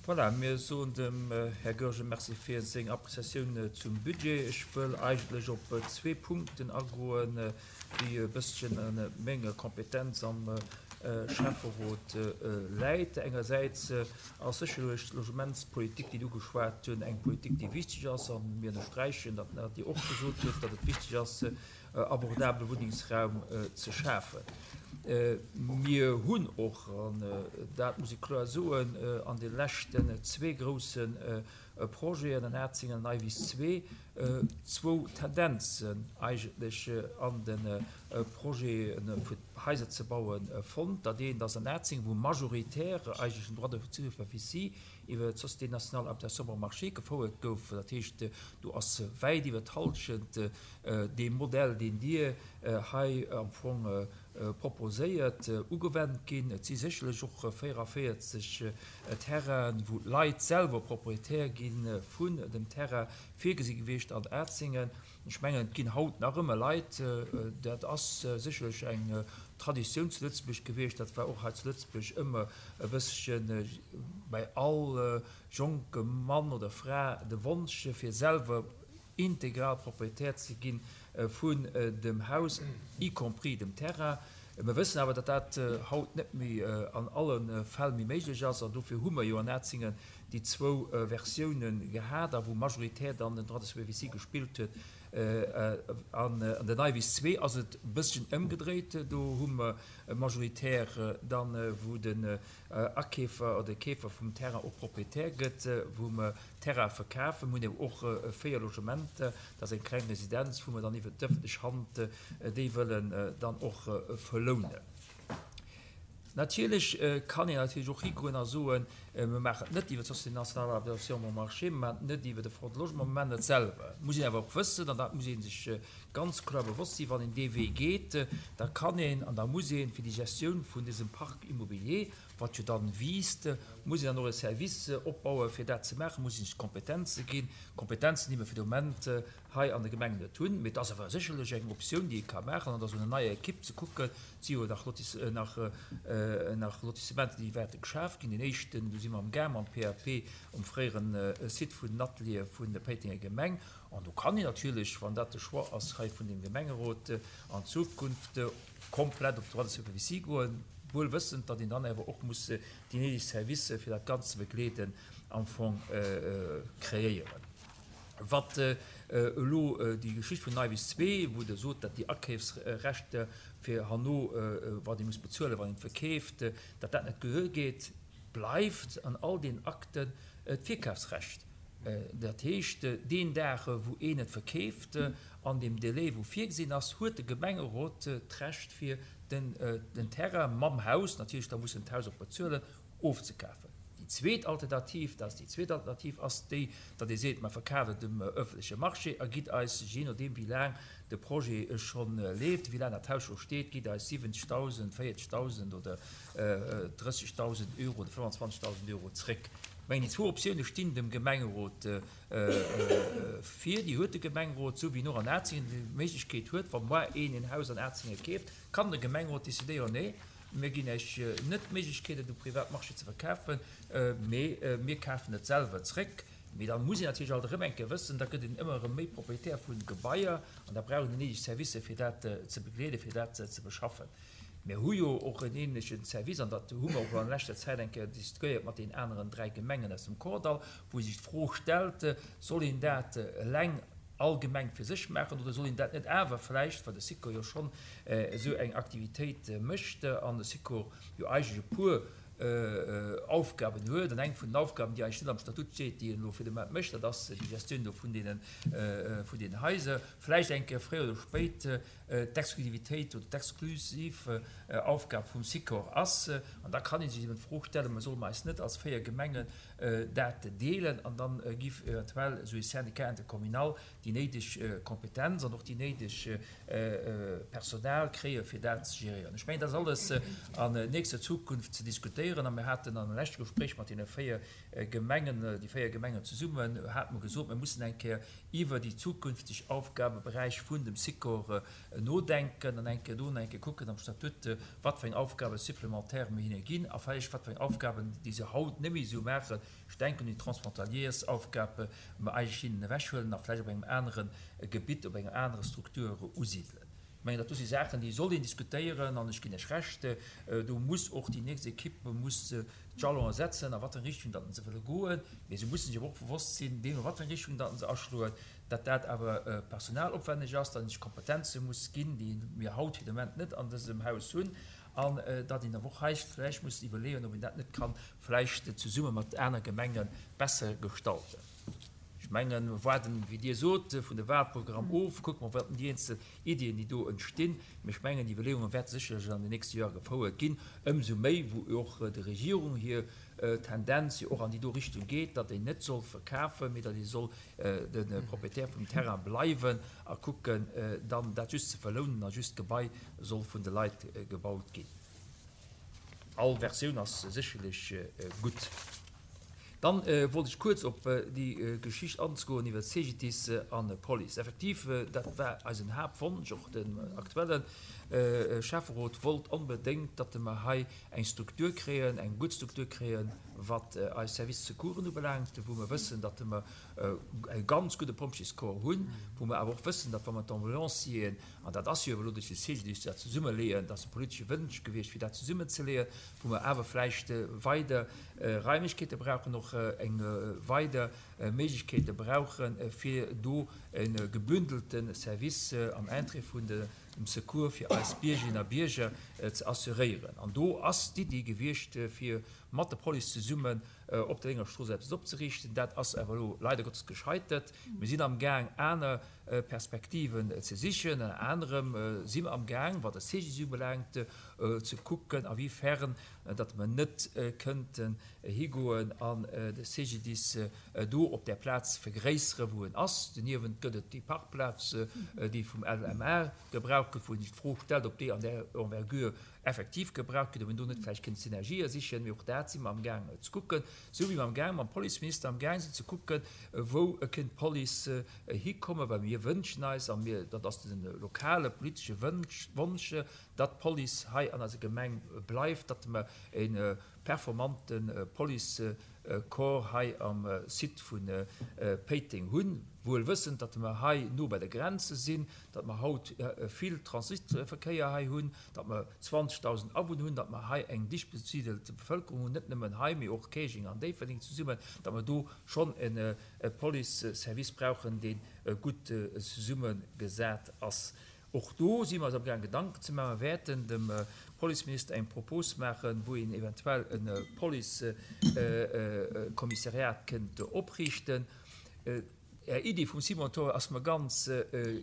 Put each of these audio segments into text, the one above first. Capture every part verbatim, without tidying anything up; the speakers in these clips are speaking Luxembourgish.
Voilà, mir soen dem Här Goergen Merci fir seng Appréciatioun zum Budget. Ech wëll eigentlech op zwee Punkten agoen, déi e bësschen a menger Kompetenz am Schäfferot läit. Engersäits ass sécherlech d'Logementspolitik, déi Der ugeschwat hunn, eng Politik, déi wichteg ass, a mir ënnersträichen, datt Dir och gesot hutt, datt et wichteg ass, abordabele Wunnengsraum ze schafen. Mir hunn och, an dat muss ee kloer soen, an de leschten zwee grousse Projeten, an Atzingen an Eiwiss zwee, zwou Tendenzen eigentlech an de Projete fir Haiser ze bauen fonnt. Dat eent ass an Atzingen, wou majoritaire eigentlech den Droit de superficie iwwer d'Société nationale d'adaptation bon marché gefouert gouf. Dat heescht, do ass wäit iwwer d'Hallschent dee Modell, deen Dir hei am Fong proposéiert, ugewennt ginn. Et si sécherlech och véierevéierzeg Terrainen, wou d'Leit selwer Proprietär gi vun dem Terrain, virgesi gewiescht an Atzingen. Ech mengen, et ginn haut nach ëmmer Leit, dat ass sécherlech eng Traditioun zu Lëtzebuerg gewiescht, dat war och hei zu Lëtzebuerg ëmmer e bësschen bei all jonkem Mann oder Fra de Wonsch, fir selwer integral Proprietär ze gi vun dem Haus, y compris dem Terrain. Mer wëssen awer, datt dat haut net méi an alle Fäll méi méiglech ass, an dofir hu mer jo an Atzingen déi zwou Versiounen gehat, a wou majoritär dann den Droit de superficie gespillt huet. An den Neiwiss zwee ass et e bësschen ëmgedréit, do hu mer majoritär dann, wou den Akeefer oder de Keefer vum Terrain och Proprietär gëtt, wou mer Terrain verkafen. Mir hunn awer och véier Logementer, dat ass eng kleng Residenz, wou mer dann iwwer d'ëffentlech Hand déi wëllen dann och verlounen. Natierlech kann een natierlech och higoen a soen, mir maachen et net iwwer d'Société nationale d'adaptation bon marché, mir maachen et net iwwer de Fonds de logement, mir maachen et selwer. Et muss een awer och wëssen, an dat muss ee sech ganz kloer bewosst sinn, wann een dee Wee geet, da kann een an da muss ee fir déi Gestioun vun dësem Parc immobilier, wat jo dann wiisst, muss een dann och e Service opbauen, fir dat ze maachen, muss een sech Kompetenze ginn, Kompetenzen, déi mer fir de Moment hei an de Gemengen net hunn. Mee et ass awer sécherlech eng Optioun, déi ee ka maachen, an da sou eng nei Ekipp ze kucken. Et si jo nach Lotis, nach, nach Lotissementen, déi wäerte geschaf ginn. Deen éischten, do si mer am gaang mam P A P um fréieren Site vun den Ateliere vun der Péitenger Gemeng. An do kann een natierlech, wann dat de Choix ass hei vun dem Gemengerot, an Zukunft komplett op d'Droit de superficie goen, wuel wëssend, datt een dann awer och muss déi néideg Servicer, fir dat Ganzt ze begleeden, am Fong kreéieren. Wat elo déi Geschicht vun Neiwiss zwee, wou Der sot, datt déi Akeefsrechter fir herno, wat ee muss bezuelen, wann een et verkeeft, datt dat net gehuel gétt, bleift an all deenen Akten d'Virkafsrecht. Dat heescht, deen Dag, wou een et verkeeft, an deem Délai, wou virgesinn ass, huet de Gemengerot d'Recht, fir den Terrain mam Haus, natierlech da muss en d'Haus och bezuelen, ofzekafen. Déi zweet Alternativ, dat ass déi zweet Alternativ, ass déi, datt ee seet, mer verkafen et dem öffentleche Marché a gitt eis, jee nodeem wéi laang de Projet scho leeft, wéi laang dat Haus scho steet, gitt eis siwwenzegdausend, véierzegdausend oder drëssigdausend Euro oder fënnwanzwanzegdausend Euro zréck. Ech mengen, déi zwou Optioune stinn dem Gemengerot vir. Déi huet de Gemengerot, esou wéi en och an Atzingen déi Méiglechkeet huet, wa moar een en Haus an Atzingen keeft, kann de Gemengerot decidéieren, nee, mir ginn Iech net d'Méiglechkeet, et um Privatmarché ze verkafen, mee mir kafen et selwer zréck. Mee da muss een natierlech alt erëm eng Kéier wëssen, da gëtt een ëmmer erëm méi Proprietär vu Gebaier an da brauch een déi néideg Servicer, fir dat ze begleeden, fir dat ze beschaffen. Mir hu jo och en ähnlechen Service, an dat hu mer och an leschter Zäit eng Kéier diskutéiert mat deenen aneren dräi Gemengen aus dem Kordall, wou sech d'Fro stellt, soll een dat eleng all Gemeng fir sech maachen oder soll een dat net awer vläicht, well de Sikor jo schonn esou eng Aktivitéit mécht an de Sikor jo eigentlech e puer Aufgaben huet, an eng vun den Aufgaben, déi eigentlech net am Statut steet, déi en elo fir de Moment mécht, dat ass déi Gestioun do vun deenen, vun deenen Haiser, vläicht eng Kéier fréier oder spéit d'Exklusivitéit oder d'exklusiv Aufgab vum Sikor ass. An da kann ee sech eben d'Fro stellen, solle mer eis net als véier Gemengen dat deelen an dann giff eventuell esou ee Syndicat intercommunal déi néideg Kompetenz an och déi néideg Personal kréie fir dat ze géréieren. Ech mengen, dat ass alles an nächster Zukunft ze diskutéieren. diskutéieren. A mir haten am leschte Gespréich mat deene véier Gemengen, déi véier Gemengen zesummen, hate mer gesot, mir mussen eng Kéier iwwer déi zukünfteg Aufgabeberäich vun dem Sikor nodenken an eng Kéier do eng Kéier kucken am Statut, wat fir eng Aufgabe supplémentaire mir hinne ginn a vläicht wat fir eng Aufgaben, déi se haut net méi esou maachen, ech denken un déi Transfrontaliersaufgabe, mer eigentlech hinnen ewechhuelen a vläicht op engem anere Gebitt, op enger anerer Struktur usidelen. Ech mengen, dat do si Saachen, déi soll een diskutéieren an ech ginn Iech Recht, do muss och déi nächst Equipe muss d'Jalonen setzen, a wat fir eng Richtung datt se wëlle goen. Mee se mussen sech awer och bewosst sinn, deemno wat fir eng Richtung datt se aschloen, datt dat awer personalopwenneg ass, datt een sech Kompetenze muss ginn, déi mir haut fir de Moment net an dësem Haus hunn, an datt een awer och hei vläicht muss iwwerleeën, ob een dat net ka vläicht zesumme mat aner Gemenge besser gestalten. Ech mengen, mir waarden, wéi Dir sot, vun de Wahlprogramm of, kucke mer, wat déi eenzel Iddien, déi do entstinn. Mee ech mengen, déi Iwwerleeunge wäerte sécherlech an den nächste Joer gefouert ginn, ëmsou méi, wou och der Regierung hir Tendenz jo och an déi do Richtung geet, datt een net soll verkafen, mee datt ee soll de Propriétaire vum Terrain bleiwen a kucken, dann dat just ze verlounen a just d'Gebai soll vun de Leit gebaut ginn. All Versioun ass sécherlech gutt. Dann wollt ech kuerz op déi Geschicht anzegoen iwwer C G D I S an Police. Effektiv, dat war eisen Haaptwonsch, och den aktuellen Schäfferot wollt onbedéngt, datt mer hei eng Struktur kréien, eng gutt Struktur kréien, wat eis Service Secoursen ubelaangt, wou mer wëssen, datt mer e ganz gudde Pompjeescorps hunn, wou mer awer och wëssen, datt wa mer d'Ambulancieren, an dat ass jo elo duerch de C G D I S dat zesummeleeën, dat ass e politesche Wënsch gewiescht, fir dat zesummenzeleeën, wou mer awer vläicht weider Raimlechkeete brauchen, och eng weider Méiglechkeete brauchen, fir do e gebündelte Service am Interêt vun dem Secours fir eis Biergerinnen a Bierger ze assuréieren. An do ass d'Iddi gewiescht, fir mat der Police zesummen op der Lénger Strooss eppes opzeriichten. Dat ass awer elo leider Gottes gescheitert. Mir sinn am Gaang, aner Perspektiven ze sichen. Ënner anerem si mer am Gaang, wat de C G D I S ubelaangt, ze kucken, a wéi fern datt mer net kënnten higoen an de C G D I S do op där Plaz vergréisseren, wou en ass. Doniewent gëtt et déi Parkplaz, déi vum L M A gebraucht gëtt, wou een sech d'Fro stellt, ob déi an där Envergure effektiv gebraucht gëtt, ob een do net vläicht kënnt Synergië sichen. Mee och dat si mer am Gaang ze kucken, sou wéi mer am Gaang mam Policeminister am Gaang sinn ze kucken, wou kënnt d'Police hikommen, well mir wënschen eis, a mir, dat ass de lokale politesche Wënsch, Wonsch, datt d'Police hei an eiser Gemeng bleift, datt mer e performante Policecorps hei am Site vu Péiteng hunn, wuel wëssend, datt mer hei no bei der Grenze sinn, datt mer haut vill Transitverkéier hei hunn, datt mer zwanzegdausend Awunner hunn, datt mer hei eng dicht besiedelt Bevëlkerung hunn, net nëmmen hei, mee och Käerjeng an Déifferdeng zesummen, datt mer do schonn e Police-Service brauchen, dee gutt zesummegesat ass. Och do si mer eis amgaang Gedanken ze maachen. Mer wäerten dem Policeminister eng Propos maachen, wou een eventuell e Policekommissariat kënnt opriichten. Är Iddi vum Simon Thor ass mer ganz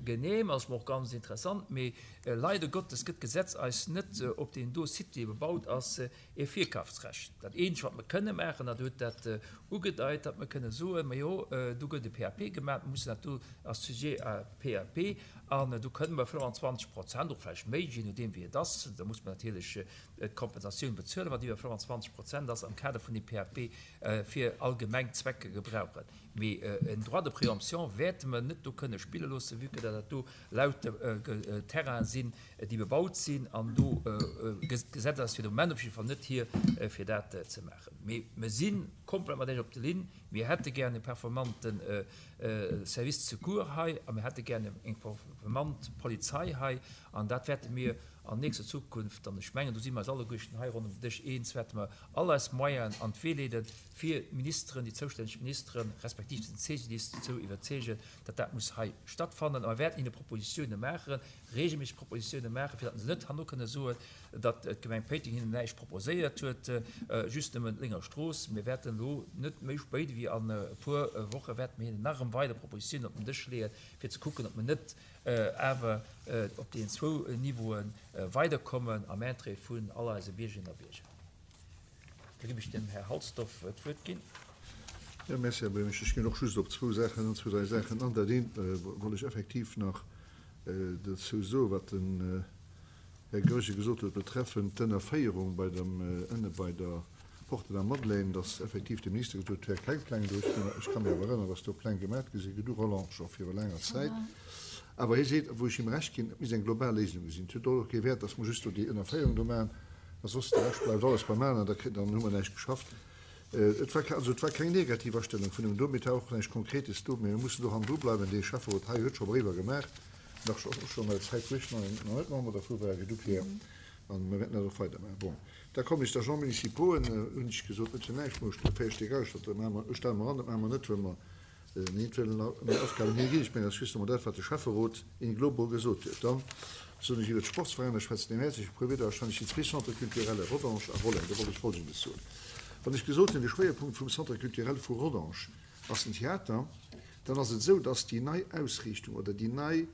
genehm, ass mer och ganz interessant, mee leider Gottes gëtt d'Gesetz eis net op deem do Site, dee bebaut ass, e Virkafsrecht. Dat eenzegt, wat mer kënne maachen, dat huet dat ugedeit, datt mer kënne soen, majo, do gëtt e P A P gemaach, mer mussen dat do ass sujet à P A P an do kënne mer fënnwanzwanzeg Prozent, och vläicht méi, je nodeem wéi et ass, da muss mer natierlech d'Kompensatioun bezuelen, wat iwwer fënnwanzwanzeg Prozent ass, am Kader vun dem P A P fir allgemeng Zwecke gebrauchen. Mee en Droit de préemption wäerte mer net do kënne spille loossen, vue que dat do lauter Terrainen sinn, déi bebaut sinn, an do d'Gesetz ass fir de Moment op jidde Fall net hier, fir dat ze maachen. Mee mer si komplett mat Iech op der Linn. Mir hätte gär e performante Service de secours hei a mir hätte gär eng performant Polizei hei, an dat wäerte mir an nächster Zukunft, an ech mengen, do si mer eis alleguerten hei ronderëm den Dësch eens, wäerte mer all eis Moyenen an d'Wee leeden, fir d'Ministeren, déi zoustänneg Ministeren, respektiv den C G D I S dozou iwwerzeegen, datt dat muss hei stattfannen. A mer wäerten hinne Propositione maachen, regelméisseg Propositione maachen, fir datt se net herno kënne soen, datt d'Gemeng Péiteng hinnen näischt proposéiert huet, just nëmmen d'Lénger Strooss. Mir wäerten elo net méi spéit wéi an e puer Woche wäerte mir hinnen nach erëm weider Propositiounen op den Dësch leeën, fir ze kucken, ob mer net awer op deenen zwou Niveaue weiderkommen am Interêt vun all eise Biergerinnen a Bierger. Da ginn ech dem Här Halsdorf d'Wuert ginn. Jo, merci, Här Buergermeeschter. Ech ginn och just op zwou Saachen, zwou, dräi Saachen an. Dat eent wollt ech effektiv nach dozou soen, wat den Här Goergen gesot huet betreffend d'Ënnerféierung bei dem, ënne bei der Porte de la Madeleine, dass effektiv de Minister gesot huet, wär keng Pläng do. Ech ka mech awer erënneren, dass do Pläng gemaach gi sinn, gedu Roland, scho viru laanger Zäit. Awer hie seet, wou ech him Recht ginn, et misst eng global Léisung sinn. Et huet och kee Wäert, dass mer just do déi Ënnerféierung do maachen, a soss de Rescht bleift alles beim Alen, da kritt, dann hu mer näischt geschafft. Et war, also et war keng negativ Astellung vun him do, mee et war och näischt Konkretes do. Mee mir mussen do hannendru bleiwen. Dee Schäfferot hei huet scho Bréiwer gemaach, nach och schonn an der Zäit, wou ech nach net Member dervu war, gedu Pierre. An mir wäerten dat och weidermaachen. Bon, da kommen ech d'Agents municipauxen, hunn ech gesot, net fir näischt, mä ech véier Stéck agestallt, dat maache mer, stelle mer an, dat maache mer net, well mer net wëllen nei Aufgaben higinn. Ech mengen, dat ass justement dat, wat de Schäfferot in globo gesot huet. Dann soll ech iwwer d'Sportsveräiner schwätzen. Deem häerzleche puer Wieder wahrscheinlech déi zwee Centres culturels, Rodange a Rolleng. Do wollt ech Folgendes soen. Wann ech gesot hunn, de Schwéierpunkt vum Centre culturel vu Rodange ass den Theater, dann ass et esou, dass déi nei Ausriichtung oder déi nei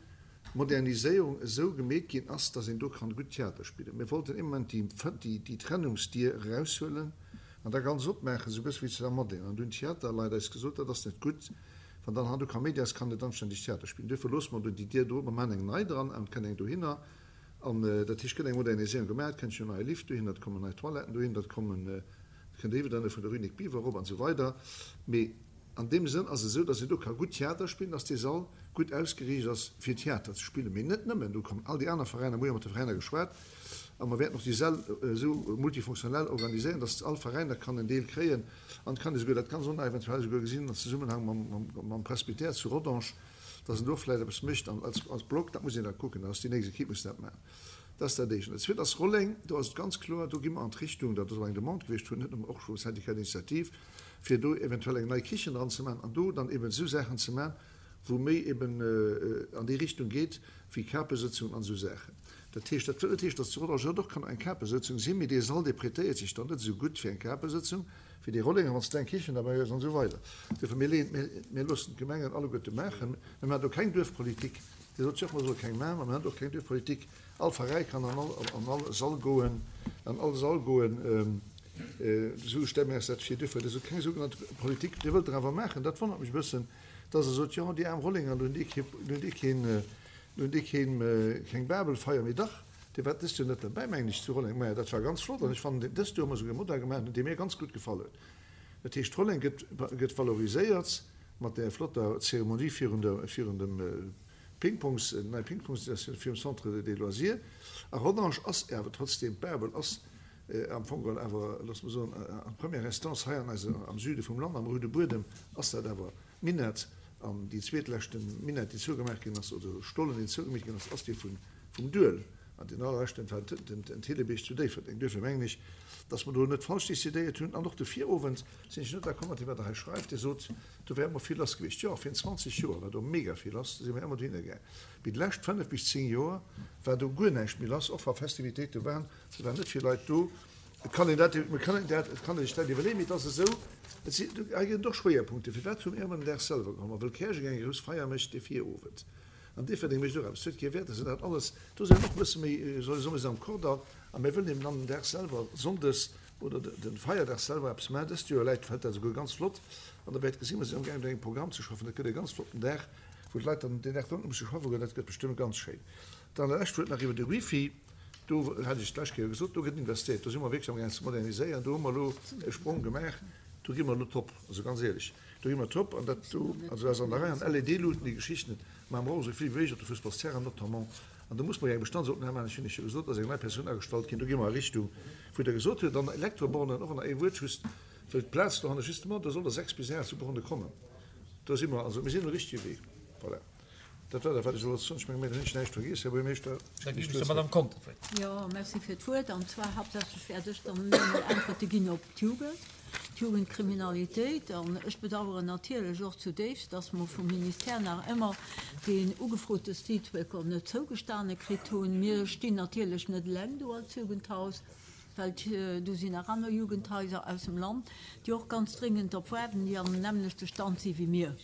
Moderniséierung esou gemeet ginn ass, dass een do kann gutt Theater spillen. Mir wollten ëmmer déi, déi, déi Trennungsdier eraushuelen an da ganz opmaachen, esou e bësse wéi zu der Madeleine. An dunn d'Theaterleit eis gesot, dat ass net gutt, wann dann han do Kaméidi ass, kann net anständeg Theater spillen. Duerfir loosse mer do déi Dier do, mer maachen eng nei dran an et kënnt eng dohinner. An dat heescht, gëtt eng Moderniséierung gemaach, et kënnt jo en neie Lift dohinner, et kommen nei Toiletten dohin, dat kommen, et kënnt iwwerdënne vun der Rue Nic Biver erop an esou weider. Mee an deem Sënn ass et esou, dass een do ka gutt Theater spillen, dass dee Sall gutt ausgeriicht ass, fir Theater ze spillen. Mee net nëmmen, do kommen all déi aner Veräiner, mir hu jo mat de Veräiner geschwat a mer wäerten och déi Säll esou multifunktionell organiséieren, dass all Veräin da kann en Deel kréien an et kann ee souguer dat ganz och nach eventuell souguer gesinn am Zesummenhang mam, mam Presbytère zu Rodange, dass en do vläicht eppes mécht an als, als Block, dat muss een da kucken, dat ass déi nächst Equipe muss dat maachen. Dat ass dat Éischt. An dat Zweet ass Rolleng, do ass et ganz kloer, do gi mer an d'Richtung, dat ass och eng Demande gewiescht vun net nëmmen och vum Syndicat d'initiative, fir do eventuell eng nei Kichen dran ze maachen an do dann eben esou Saachen ze maachen, wou méi eben an déi Richtung geet wéi Kapesëtzungen an esou Saachen. Dat heescht, dat wëll net heeschen, datt zu Rodange net och kann eng Kapesëtzung sinn, mee dee Sall, dee prêtéiert sech dann net esou gutt fir eng Kapesëtzung wéi dee Rollenger, wann s de eng Kichen derbäi hues an esou weider. Duerfir, mir leeën, mir, mir loossen d'Gemengen alleguerte maachen. Mir maachen do keng Duerfpolitik. Dir sot jo och, mer solle keng maachen, ma mir maachen och keng Duerfpolitik. All Veräi kann an all, an all Sall goen, an all Sall goen. Esou stelle mir eis dat vir. Duerfir, dat ass keng sougenannt Politik. Dir wëllt der awer maachen, dat wonnert mech e bëssen, dass Der sot, jo, déi aarm Rollenger, do hunn déi kee, do hunn déi keen, do hunn déi keen, keng Babelfeier méi. Dach, Dir waart dëst Joer net derbäi, mengen ech, zu Rolleng. Maja, dat war ganz flott an ech fannen, dëst Joer hu mer esouguer e Modell gemaach, dee mir ganz gutt gefall huet. Dat heescht, Rolleng gëtt, gëtt valoriséiert mat där flotter Zeremonie virun der, virun dem Pingpongs, nei Pingpongsstation virum Centre des loisirs. A Rodange ass awer trotzdem, d'Babel ass am Fong geholl awer, loosse mer soen, en première instance hei an eiser, am Süde vum Land, am Roude Buedem ass dat awer d'Minett. An déi zweetleschte Minett, déi zougemaach ginn ass, oder Stollen, deen zougemeet ginn ass, ass dee vun, vum Duel. An deen allerleschten war den, den Thillebiérg zu Déifferdeng. Duerfir mengen ech, dass mer do net falsch décidéiert hunn. An och de Virowend sinn ech net d'accord mat deem, wat Der hei schreift. Dir sot, do wär ëmmer vill lass gewiescht. Jo, virun zwanzeg Joer war do mega vill lass, do si mir ëmmer dohinner gaang. Mee déi lescht fënnef bis zéng Joer war do guer näischt méi lass, och wa Festivitéite waren, et waren net vill Leit do. Et kann een dat, et kann een dat, et kann ee sech dat iwwerleeën, mee et ass esou, et si, hei ginn et och Schwéierpunkte. Firwat hu mir ëmmer den Dag selwer geholl? Ma wëll Käerjeng eng grouss Feier mécht de Virowend. An Déifferdeng mécht och eppes. Et huet kee Wäert, dass een dat alles, do sinn och e bësse méi, soll ech soen, mir sinn am Kordall a mir wëllen eben dann den Dag selwer, sonndes oder de Feierdag selwer eppes maachen. Dëst Joer läit, fält dat esouguer ganz flott an der wäert gesinn, mir sinn amgaangen un engem Programm ze schaffen. Dat gëtt e ganz flotten Dag, wou d'Leit dann deen Dag dann net musse schaffe goen. Dat gëtt bestëmmt ganz schéin. Dann e lescht Wuert nach iwwer de Wifi. Do hat ech d'lescht Kéier gesot, do gëtt investéiert. Do si mer wierklech amgaangen ze moderniséieren. Do hu mer elo e Sprong gemaach. Do gi mer elo top, also ganz éierlech, do gi mer top. An dat do, also dat ass an der Rei. An L E D-Luuten, déi Geschichten, mä mer brauche sou vill wéi méiglech op de Fussballsterrainen notamment. An do muss mer jo eng Bestandsopnam maachen. Ech hunn lech jo gesot, da ass eng nei Persoun agestallt ginn. Do gi mer a Richtung, wou Der gesot hutt. Dann Elektrobornen, och nach ee Wuert just, wëll d'Plaz dohanne justement, do soll der sechs bis aacht sou Borne kommen. Do si mer, also mir sinn um richtege Wee. Voilà. Dat war dat, wat ech wollt soen. Ech menge mir hunn ech näischt vergiess, Här Buergermeeschter. Da ginn ech der Madame Conter d'Wuert. Jo, merci fir d'Wuert. An zwar haaptsächlech wäert ech dann nëmmen Äntwerte ginn op d'Jugend, d'Jugendkriminalitéit. An ech bedauern natierlech och zudéifst, dass mer vum Ministère nach ëmmer deen ugefrote Streetworker net zougestane kritt hunn. Mir stinn natierlech net eleng do als Jugendhaus, well do sinn nach aner Jugendhaiser aus dem Land, déi och ganz dringend drop waarden, déi am nämmlechte Stand si wéi mir.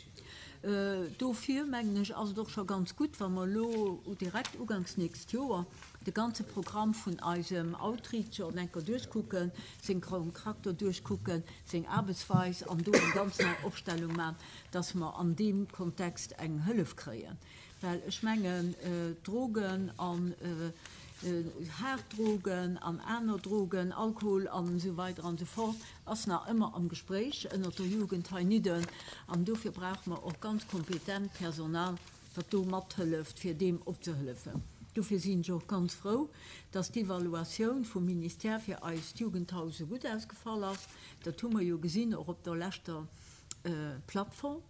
Dofir, mengen ech, ass et och scho ganz gutt, wa mer elo direkt uganks nächst Joer de ganze Programm vun eisem Outreacher enker duerchkucken, seng Charakter duerchkucken, seng Aarbechtsweis an do eng ganz nei Opstellung maachen, dass mer an deem Kontext eng Hëllef kréien. Well ech mengen, Drogen an Haart Drogen an aner Drogen, Alkohol an esou weider an esou fort, ass nach ëmmer am Gespréich ënnert der Jugend heinidden. An dofir brauche mer och ganz kompetent Personal, wat do mathëlleft, fir deem opzehëllefen. Dofir sinn ech och ganz frou, dass d'Evaluatioun vum Ministère fir eist Jugendhaus esou gutt ausgefall ass. Dat hu mer jo gesinn och op der leschter Plattform,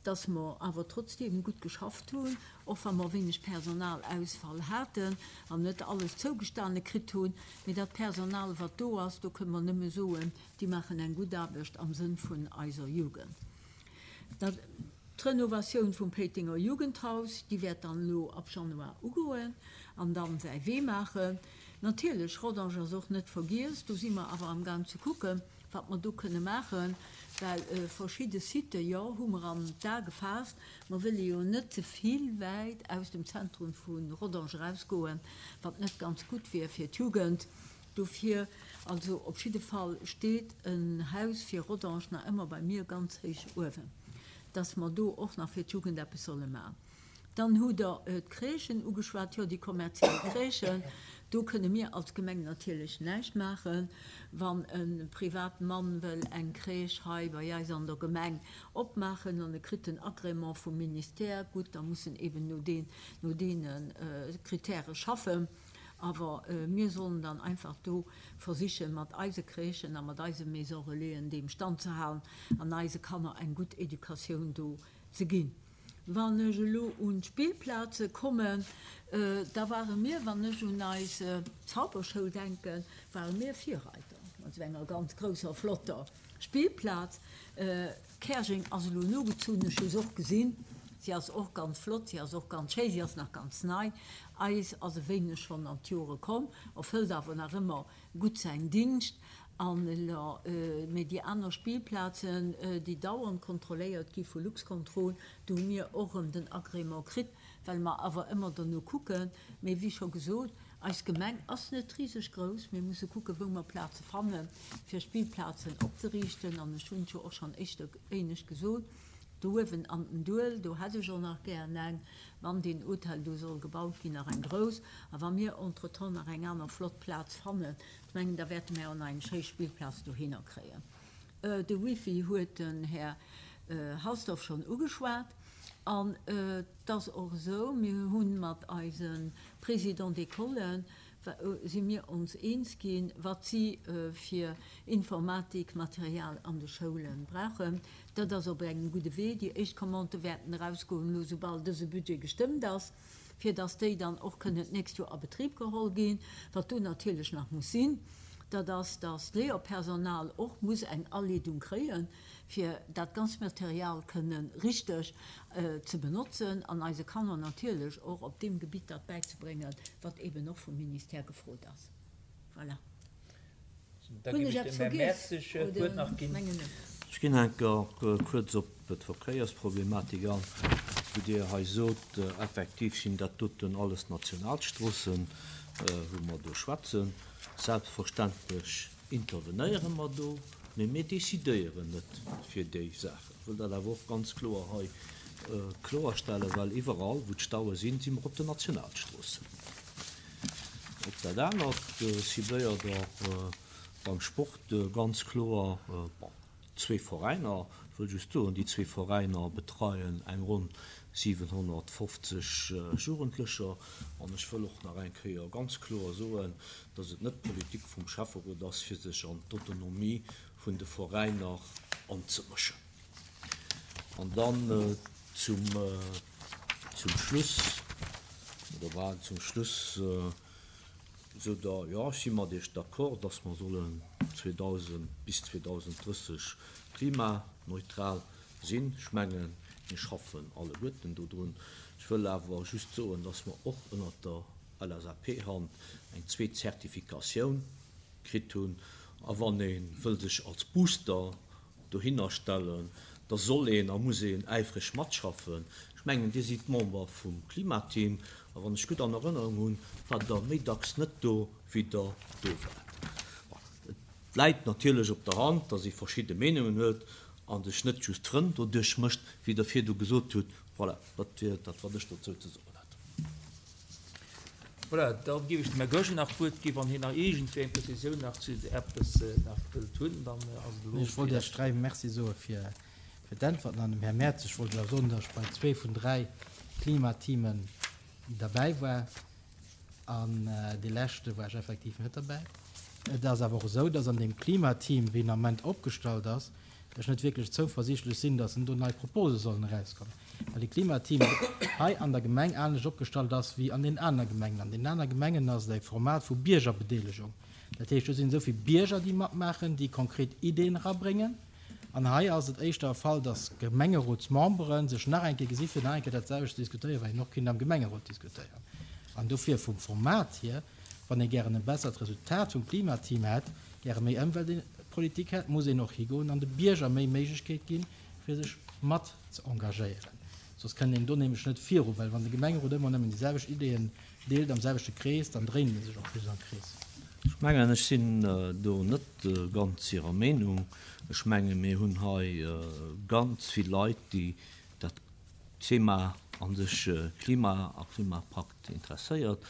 dass mer awer trotzdeem gutt geschafft hunn, och wa mer wéineg Personalausfall haten an net alles zougestane kritt hunn. Mee dat Personal, wat do ass, do kënne mer nëmme soen, déi maachen eng gutt Aarbecht am Sënn vun eiser Jugend. Dat, d'Renovatioun vum Péitenger Jugendhaus, déi wäert dann elo ab Januar ugoen an dann säi Wee maachen. Natierlech, Rodange ass och net vergiess, do si mer awer amgaang ze kucken, wat mer do kënne maachen, well verschidde Sitë, jo, hu mer an d'A gefaasst. Mer wëlle jo net ze vill wäit aus dem Zentrum vu Rodange erausgoen, wat net ganz gutt wier fir d'Jugend. Dofir, also op jidde Fall steet en Haus fir Rodange nach ëmmer bei mir ganz héich uewen, dass mer do och nach fir d'Jugend eppes solle maachen. Dann hutt Der d'Crèchen ugeschwat, jo, déi kommerziell Crèchen. Do kënne mir als Gemeng natierlech näischt maachen. Wann e Privatmann wëll eng Crèche hei bei eis an der Gemeng opmaachen an e kritt den Agrément vum Ministère, gutt, da muss en eben no deen, no deene Kritäre schaffen. Awer mir sollen dann einfach do versichen, mat eise Crèchen a mat eise Maisons relaisen deem Stand ze halen an eise Kanner eng gutt Educatioun do ze ginn. Wann ech elo un d'Spillplaze kommen, da ware mir, wann ech un eis Zauberschoul denken, ware mir Virreiter mat esou enger ganz grousser, flotter Spillplaz. Käerjeng ass elo nogezunn, ech hu se och gesinn. Si ass och ganz flott, si ass och ganz schéi, si ass nach ganz nei. Eis ass e wéineg schonn an d'Jore komm, erfëllt awer nach ëmmer gutt säin Dingscht. An elo, mee déi aner Spillplazen, déi dauernd kontrolléiert gi vu Luxcontrol, do hu mir och erëm den Agrément kritt, well mer awer ëmmer dono kucken. Mee wéi scho gesot, eis Gemeng ass net riseg grouss. Mir musse kucken, wou mer Plaze fannen, fir Spillplazen opzeriichten. An ech hunn et jo och schonn éischter éinescht gesot, do uewen an den Duel, do hätt ech och nach gären eng, wann deen Hotel do soll gebaut ginn, nach eng grouss. A wa mir entretemps nach eng aner flott Plaz fannen, ech mengen, da wäerte mir och nach eng schéi Spillplaz dohinner kréien. De Wifi huet den Här Halsdorf schonn ugeschwat. An et ass och esou, mir hu mat eise Présidents d'école si mir ons eens ginn, wat si fir Informatikmaterial an de Schoule brauchen. Dat ass op engem gudde Wee. Déi éischt Commandë wäerten erausgoen, elo soubal dëse Budget gestëmmt ass, fir dass déi dann och kënnen d'nächst Joer a Betrib geholl ginn. Wat do natierlech nach muss sinn, dat ass, dass d'Léierpersonal och muss eng Aleedung kréien, fir dat ganzt Material kënnen richteg ze benotzen an eise Kanner natierlech och op deem Gebitt dat bäizebréngen, wat eben och vum Ministère gefrot ass. Voilà. Da Hunn ginn ech ech eppes dem Här vergiess? Mertzig d'Wuert Oder nach ginn. mengen net? Ech ginn enker kuerz op d'Verkéiersproblematik an, wou Dir hei sot, effektiv sinn dat doten alles Nationalstroossen, wou mer do schwätzen. Selbstverständlech intervenéiere mer do, mee mir decidéieren net fir déi Saachen. Ech wëll dat awer och ganz kloer hei kloerstellen, well iwwerall, wou d'Staue sinn, si mer op den Nationalstroossen. Op dat anert cibléiert Der beim Sport ganz kloer, bon, zwee Veräiner. Ech wëll just soen, déi zwee Veräiner betreien eng ronn siwenhonnertfofzeg Jugendlecher. An ech wëll och nach eng Kéier ganz kloer soen, dass et net d'Politik vum Schäfferot ass, fir sech an d'Autonomie vun de Veräiner anzemëschen. An dann zum, zum Schluss, oder bal zum Schluss, sot Der, jo, ech si mat Iech d'accord, dass mer sollen zweedausend bis zweedausenddrësseg klimaneutral sinn. Ech mengen, mir schaffen alleguerten dodrun. Ech wëll awer just soen, dass mer och ënnert der L S A P-Hand eng zweet Zertifikatioun kritt hunn. A wann ee wëll sech als Booster dohinner stellen, da soll een a muss een äifreg matschaffen. Ech mengen, Dir sidd Member vum Klimateam, a wann ech gutt an Erënnerung hunn, war der méi dacks net do, wéi der do waart. Et läit natierlech op der Hand, dass ee verschidde Meenungen huet an sech net just Frënn doduerch mécht, wéi der virdu gesot hutt. Voilà, dat wier dat, wat ech dozou ze soen hätt. Voilà, da géif ech dem Här Goergen nach d'Wuert ginn, wann hien nach iergendwéi eng Prezisioun nach zu eppes nach wëllt hunn, dann ass et elo. Ech wollt Iech dräi Merci soe fir d'Äntwerten an dem Här Merz. Ech wollt lech awer soen, datt ech bei zwee vun dräi Klimateamen derbäi war an dee leschte war ech effektiv net derbäi. Et ass awer och esou, datt an deem Klimateam, wéi en am Moment opgestallt ass, ech net wierklech zouversiichtlech sinn, datt en do nei Propose sollen erauskommen, well de Klimateam hei an der Gemeng anescht opgestallt ass wéi an den aner Gemengen. An den aner Gemengen ass et e Format vu Biergerbedeelegung. Dat heescht, do sinn esou vill Bierger, déi matmaachen, déi konkret Ideeën erabréngen. An hei ass et éischter e Fall, datt Gemengerotsmembere sech nach eng Kéier gesi fir nach eng Kéier dat selwecht ze diskutéieren, wat een och kéint am Gemengerot diskutéieren. An dofir vum Format hier, wann ee gären e bessert Resultat vum Klimateam hätt, gäre méi Ëmweltpolitik hätt, muss een och higoen an de Bierger méi Méiglechkeet ginn, fir sech mat ze engagéieren. Soss kënnt een do nämlech net viru, well wann de Gemengerot ëmmer nëmmen déi selwecht Ideeën deelt am selwechte Krees, dann dréint ee sech och just am Krees. Ech mengen, ech sinn do net ganz Hirer Meenung. Ech menge mir hunn hei ganz vill Leit, déi dat Thema a sech Klima a Klimapakt interesséiert.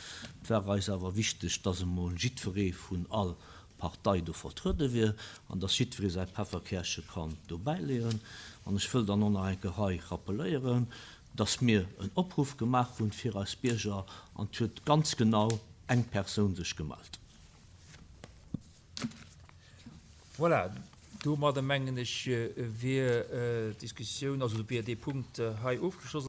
Et war eis awer wichteg, dass emol jiddweree vun all Partei do vertruede wier an dass jiddweree säi Pefferkäerche kann do bäileeën. An ech wëll dann och nach eng Kéier hei rappeléieren, dass mir en Opruff gemaach hunn fir eis Bierger an et huet ganz genau eng Persoun sech gemellt. Voilà, domadder mengen ech wier d'Diskussioun, also wier dee Punkt hei ofgeschloss.